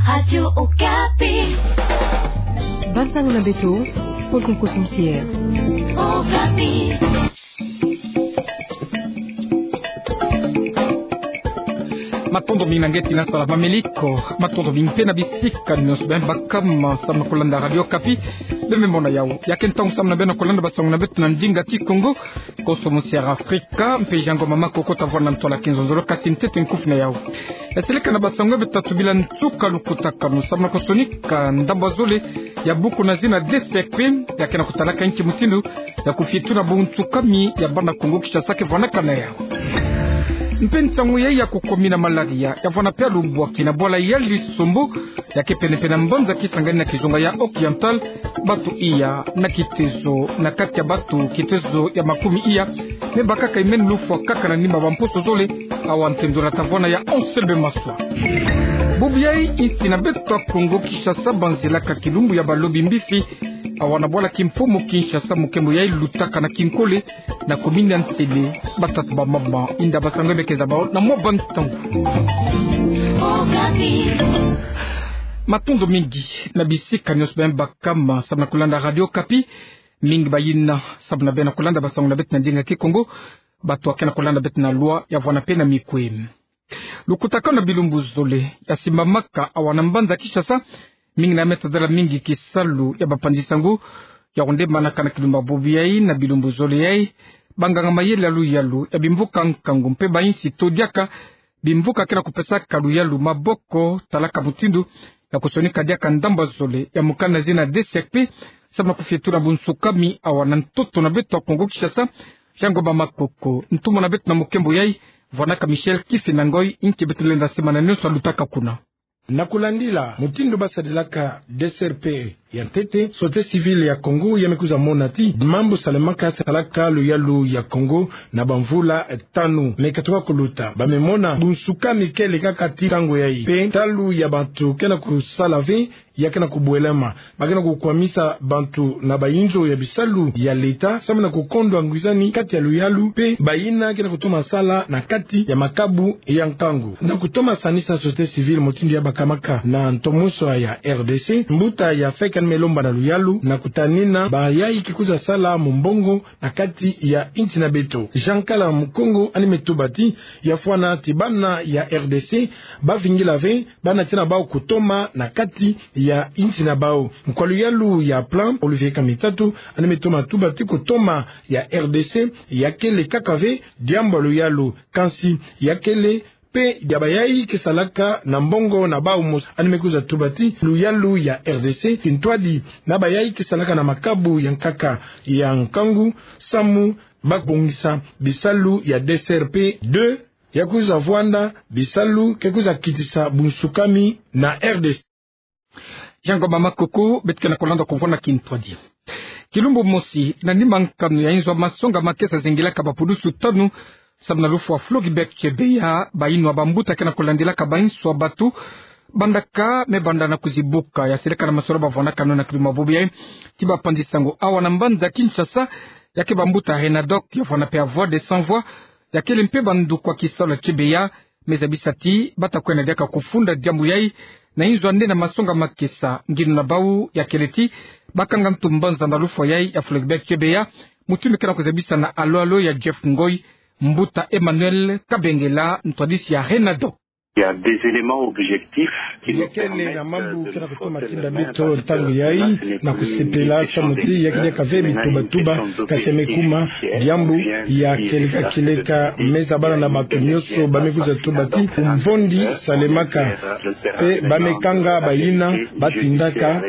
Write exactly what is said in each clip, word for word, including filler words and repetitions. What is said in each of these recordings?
Radio Okapi. Bansango na beto, Paul Konkoso Mosier. Okapi. Matondo mingi na nge tina sala mameli ko, matondo mingi mpe na bisika nyonso beno baka ma samu na kolanda Radio Okapi. Beno me mona yawu, ya ke ntangu samu na beno kolanda bansango na beto na ndinga Kikongo. Konkoso Mosier Afrika, mpe Jean Ngoma Makoko ta vwanda na ntwala ya kinzonzolo, kasi ntete nkufi na yawu. Eseleka na bansango ya beto, tatu bila nsuka lukutakanu samu na kusonika ndambu ya zole ya buku na zina D C R P, ya ke na kutalaka nki mutindu ya kufitu na bunsukami ya bana Kongo Kinshasa ke vwanakana yawu. Mpe nsangu yayi ya kukumina malaria ya vwana mpe ya lubwaki na bwala ya Lisombo, ya ke pene-pene na mbanza Kisangani na kizunga ya Occidental, bantu iya na kitezo na kati ya bantu kitezo ya makumi iya me bakaka imeni lufwa kaka na nima bamposo zole, awa ntendula ta vwanda ya onse be maswa. Bubu yayi, insi na beto ya Kongo Kinshasa banzilaka kilumbu ya balobi mbisi, awa na bwala Kimpumu Kinshasa, mukembo yayi lutaka na kinkole, na commune ya Ntele, batata bamama, inda bansango ya beto ke zaba na mwa bantangu. Matondo mingi na bisika nyonso beno baka ma samu na kolanda Radio Okapi. Mingi bayina samu na beno kolanda bansango na beto na ndinga Kikongo, bantu ya ke na kolanda beto na loi ya vwanda mpe na mikwe. Lukutakanu na bilumbu zole ya simbamaka awa na mbanza Kinshasa, mingi na me tadala mingi kisalu ya bapanzi-nsangu, ya kundemanaka na kilumbu ya bubu yayi na bilumbu zole yayi banganga-mayele ya luyalu ya bimvuka nkangu mpe ba insi to diaka bimvuka ke na kupesaka luyalu maboko, talaka mutindu ya kusonika diaka ndambu ya zole ya mukanda na zina D C R P, samu na kufitu na bunsukami awa na ntoto na beto ya Kongo Kinshasa. Jean Ngoma Makoko, ntumwa na beto na mukembo yayi, vwanaka Michel Kifinda Ngoi, nki beto lenda sema na nionso ya lutaka kuna. Na kulandila mutindu basadilaka D C R P ya ntete, société civile ya Kongo ya me kwiza mona ti mambu salemaka, salaka luyalu ya Kongo na bamvula tanu me katuka kuluta, ba me mona bunsukami kele kaka ti ntangu yayi, mpe ntalu ya bantu ke na kusala ve, ya ke na kubwelama, ba ke na kukwamisa bantu na bayinzo ya bisalu ya leta, samu na kukondwa ngwizani kati ya luyalu mpe bayina ke na kutoma sala na kati ya makabu ya nkangu. Na kutoma sanisa société civile mutindu ya bakamaka na ntomoso ya R D C, mbuta ya feke yandi me lomba na luyalu na kutanina bayayi ke kwiza sala mumbongo na kati ya insi na beto. Jean Kala Mukongo yandi me tuba ti, ya fwana ti bana ya R D C bavingila ve bana tina bau kutoma na kati ya insi na bau. Nkwa luyalu ya Plan, Olivier Kamitatu, yandi me toma tuba ti kutoma ya R D C ya kele kaka ve diambu ya luyalu, kansi ya kele mpe ya bayayi ke salaka na mbongo na bau mosi. Yandi me kwiza tuba ti luyalu ya R D C kintwadi na bayayi ke salaka na makabu ya nkaka ya nkangu, samu ba bongisa bisalu ya D C R P deux, ya kwiza vwanda bisalu ke kwiza kitisa bunsukami na R D C. Jean Ngoma Makoko, beto ke na kulanda ko vwanda kintwadi. Kilumbu mosi, na nima nkanu ya inzo ya masonga makesa zingilaka bapudusu tanu, samu na lufwa Floribert Chebeya, bayinwa bambuta ke na kulandilaka bayinso ya bantu, bandaka me banda na kuzibuka, ya seleka na masolo ba vwanaka nao na kilumbu ya bubu yayi, ti bapanzi-nsangu awa na mbanza Kinshasa, ya ke bambuta Renadoc, ya vwana mpe ya Voix des Sans Voix, ya kele mpe banduku ya kisalu ya Chebeya, me zabisa ti bata kwenda diaka kufunda diambu yayi na inzo ya nene ya masonga makesa. Ngindu na bau ya kele ti bakanga ntu mbanza na lufwa yayi ya Floribert Chebeya, mutindu ke na kuzabisa na alo-alo ya Jeff Ngoy, mbuta Emmanuel Kabengela, ntwadisi ya Renadoc. Il y a des éléments objectifs qui nous permettent de nous forcer la main, parce que là, ce n'est plus une question de question d'objectifs, mais là, c'est une question de vérification d'objectifs. Ya kele na mambu ke na kutoma tinda beto ntangu yayi na kusepela samu ti ya ke diaka ve bituba-tuba, kasi ya me kuma diambu ya kieleka-kieleka, me zabana na bantu nyonso ba me kwiza tuba ti kumvondi salemaka, mpe ba me kanga bayina ba tindaka,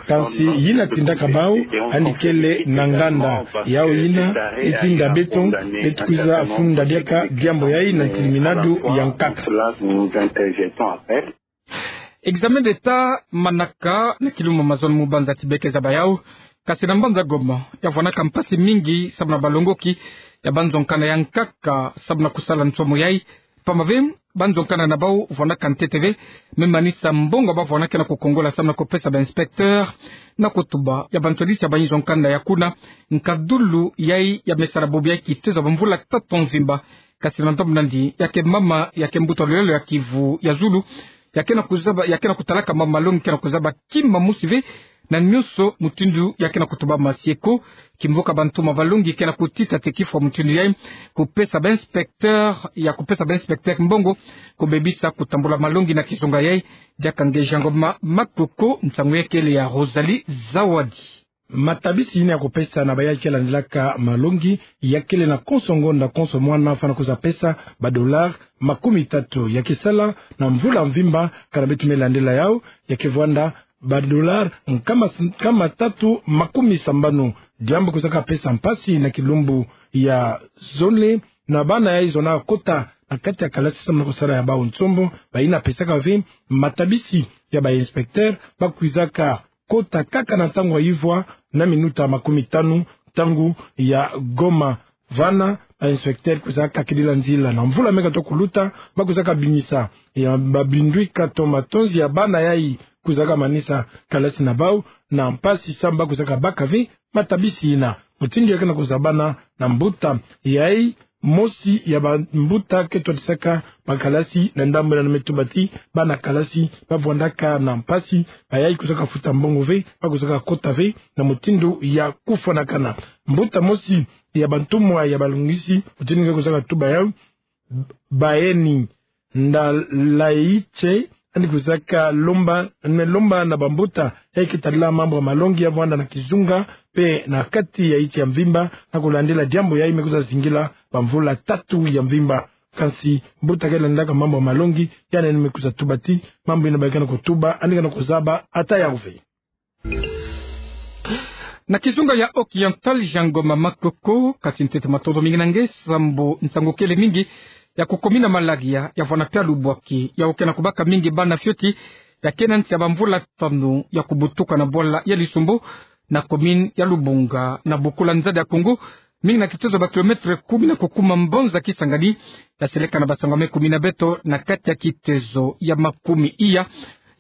kansi yina tindaka bau yandi kele na nganda. Yawu yina etinda beto, beto kwiza funda diaka diambu yayi na ntiliminadu ya nkaka. Examen d'État manaka na kilumbu mazono mu banza ti beke zaba yawu, kasi na mbanza Goma ya vwanaka mpasi mingi samu na balongoki ya banzo-nkanda ya nkaka samu na kusala nsomo yayi. Pamba ve, banzo-nkanda na bau vwanaka ntete ve, me manisa mbongo ba vwanaka na kukongola samu na kupesa ba inspecteur, na kutuba ya bantwadisi ya bayinzo-nkanda ya kuna. Nkadulu yayi ya me sala bubu yayi kitezo ya bamvula tatu mvimba, kasi na ntomo nandi ya ke mama ya ke mbuta lulendo ya Kivu ya zulu, ya ke na kuzaba, ya ke na kutalaka mambu ma longi ke na kuzaba kima mosi ve, na nionso mutindu ya ke na kutubama. Si eko, kimvuka bantumwa ba longi ke na kutita te kifwa mutindu yai, kupesa ba inspecteur, ya kupesa ba inspecteur mbongo, kubebisa kutambula malongi na kizunga yai. Diaka nge Jean Ngoma Makoko, nsangu ya kele ya Rosalie Zawadi. Matabisi yina ya kupesa na bayai ke landilaka malongi, ya kele na konso ngonda konso mwana fwana kuza pesa ba dollars makumi tatu. Ya ke sala na mvula mvimba, kana beto me landila yau, ya ke vwanda ba dollars nkama, nkama tatu makumi sambanu. Diambu kuzaka pesa mpasi na kilumbu ya zole, na bana yai zonaka kota na kati ya kalasi samu na kusala ya bau nsombo. Bayina pesaka ve matabisi ya ba inspecteur, ba kwizaka kota kaka na ntangu ya ivwa na minuta makumi tanu, ntangu ya goma. Vana, ba inspecteur kwizaka kakidila nzila. Na mvula me katuka kuluta, ba kwizaka bimisa ya ba bindwika to matonzi ya bana yai kwizaka manisa kalasi na bau, na mpasi samu ba kwizaka baka ve matabisi yina. Mutindu ya ke na kuzabana na mbuta yai, mosi ya bambuta ke twadisaka bakalasi na ndambu yina, me tuba ti bana kalasi ba vwandaka na mpasi, bayai kwizaka futa mbongo ve, ba kwizaka kota ve na mutindu ya kufwanakana. Mbuta mosi ya bantumwa ya balongisi, mutindu nge kwizaka tuba yau, Baeni Ndalaiche, yandi kwizaka lomba, me lomba na bambuta yai ke tadila mambu ya malongi ya vwanda na kizunga, pe na kati ya insi ya mvimba, na kulandila diambu yai me kwiza zingila bamvula tatu ya mvimba. Kansi mbuta ke landilaka mambu ya malongi, yandi me kwiza tuba ti mambu yina ba ke na kutuba, yandi ke na kuzaba ata yau ve. Na kizunga ya Occidental, Jean Ngoma Makoko, kati ntete matondo mingi na nge, sambu nsangu kele mingi ya kukomina malaria, ya vwanda pia lubwaki, yau ke na kubaka mingi bana fioti ya ke na nsi ya bamvula tanu ya kubutuka na bwala ya Lisombo, na commune ya Lubunga, na buku la nzadi ya Kongo, mingi na kitezo ba kilomètre kumi na kukuma mbonza Kisangani, ya seleka na basango me kumi na beto na kati ya kitezo ya makumi iya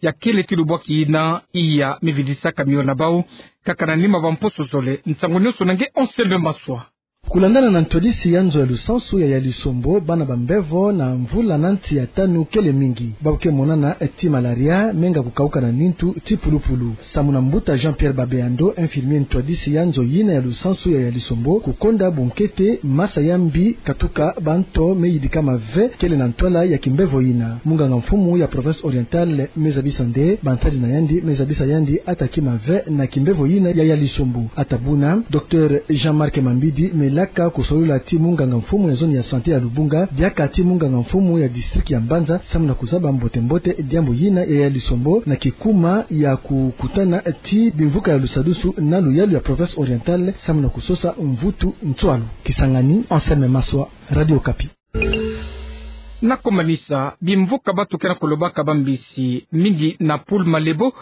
ya kele ti lubwaki yina iya me vidisaka miole na bau, kaka na nima ba mposo zole. Nsangu nionso na nge Anselme Maswa. Kulandana na ntwadisi ya nzo ya lusansu ya, ya Lisombo, bana ba mbevo na mvula na nsi ya tanu kele mingi. Babu ke monana ti malaria, menga kukauka na nintu ti pulupulu. Samu na mbuta Jean-Pierre Babeando, infirmier ntwadisi ya nzo yina ya lusansu ya, ya Lisombo, kukonda bunkete masa ya mbi katuka banto me yidikama ve kele na ntwala ya kimbevo yina. Munganga mfumu ya province orientale me zabisa nde bantadi na yandi, me zabisa yandi ata kima ve na kimbevo yina ya, ya Lisombo. Ata buna, docteur Jean-Marc Mambidi me laka kusolula ti munganga mfumu ya zone ya santé ya Lubunga, diaka ti munganga mfumu ya district ya Mbanza, samu na kuzaba mbote-mbote diambu yina ya, ya Lisombo, na kikuma ya kukutana ti bimvuka ya lusadusu na luyalu ya province orientale, samu na kusosa mvutu ntwalu. Kisangani, Anselme Maswa, Radio Okapi. Na kumanisa, bimvuka bantu ke na kulobaka bambisi mingi na Pool Malebo,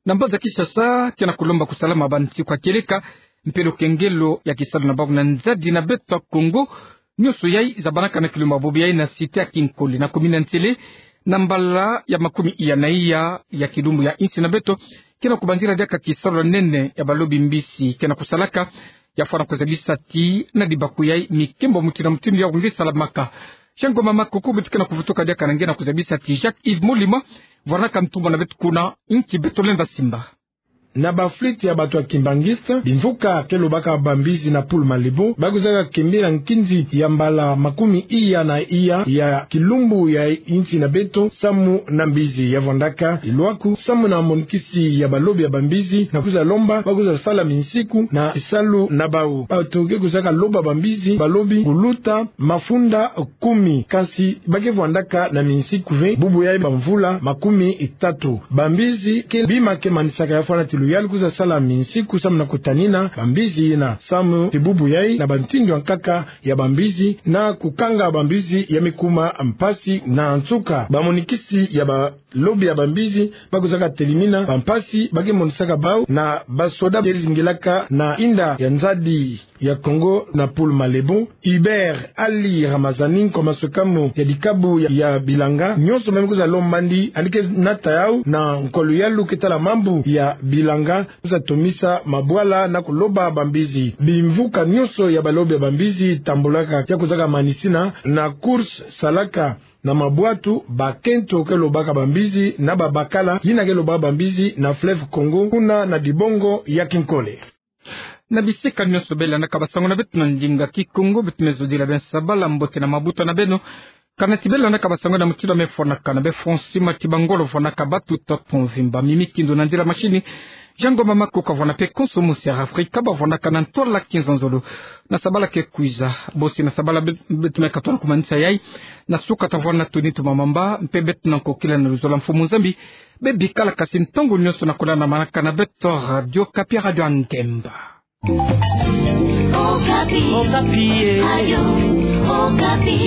na mbanza Kinshasa, ke na kulomba kusalama bansiku ya kieleka, mpe lukengelo ya kisalu na bau na nzadi na beto ya Kongo. Nionso yai zabanaka na kilumbu ya bobo yai na cité ya Kinkole, na commune ya Nsele, na mbala ya makumi iya na iya ya kilumbu ya insi na beto, ke na kubanzila diaka kisalu ya nene ya balobi mbisi ke na kusalaka, ya fwana kuzabisa ti na dibaku yai mikembo mutindu na mutindu yau nge salamaka. Jean Ngoma Makoko, beto ke na kuvutuka diaka na nge na kuzabisa ti Jacques Yves Molima vwanaka ntumwa na beto kuna insi beto lenda simba. Na ba flûte ya bantu ya kimbanguiste, bimvuka ke lobaka bambisi na Pool Malebo, ba kwizaka kembila nkinzi ya mbala makumi iya na iya ya kilumbu ya insi na beto, samu na mbisi ya vwandaka lilwaku, samu na monikisi ya balobi ya bambisi, na kwiza lomba ba kwiza sala minsiku na kisalu na bau. Bantu ke kwizaka loba bambisi, balobi kuluta mafunda kumi, kansi ba ke vwandaka na minsiku ve, bubu yai bamvula makumi tatu. Bambisi ke bima ke manisaka ya fwana ti luyalu kwiza sala minsiku samu na kutanina bambisi yina, samu ti bubu yai na bantindu ya nkaka ya bambisi na kukanga bambisi ya me kuma mpasi na nsuka. Bamonikisi ya ba lobi ya bambisi, ba kwizaka telimina bampasi ba ke monisaka bau na basoda ke zingilaka na inda ya nzadi ya Kongo na Pool Malebo. Hubert Ali Ramazani, nkwa masukamu ya dikabu ya, ya bilanga, nionso me me kwiza lombandi, yandi ke nata yau na nkwa luyalu ke tala mambu ya bilanga, kwiza tomisa mabwala na kuloba bambisi. Bimvuka nionso ya balobi ya bambisi tambulaka, ya kwizaka manisina na course salaka Na mabwatu, bakento ke lobaka bambizi na babakala yina ke lobaka bambizi na fleuve Congo, kuna na dibongo ya Kinkole. Na bisika nyonso bê landaka basango na beto na ndinga Kikongo, beto me zodila bê sabala mbote na mabuta na beno. Kana ti bê landaka basango na mutindu mê fwanaka na bê fwansi mati bangolo fwanaka batuta pont mvimba, mimi kindo na nzila mashini. Jean Ngoma Maku kavwanda mpe konso musi ya Afrika bavwandaka na ntwala kinzonzolo. Na sabala ke kwiza, bosi na sabala bê, beto me katona kumanisa yayi. Na suka tavwanda tuni tuma mamba, mpe beto na nkokila na luzolo mfumu Nzambi. Bê bikala kasi ntangu nyonso na kulanda manaka na beto Radio Okapi, Radio Angemba. Okapi. Okapi, eh. Radio Okapi.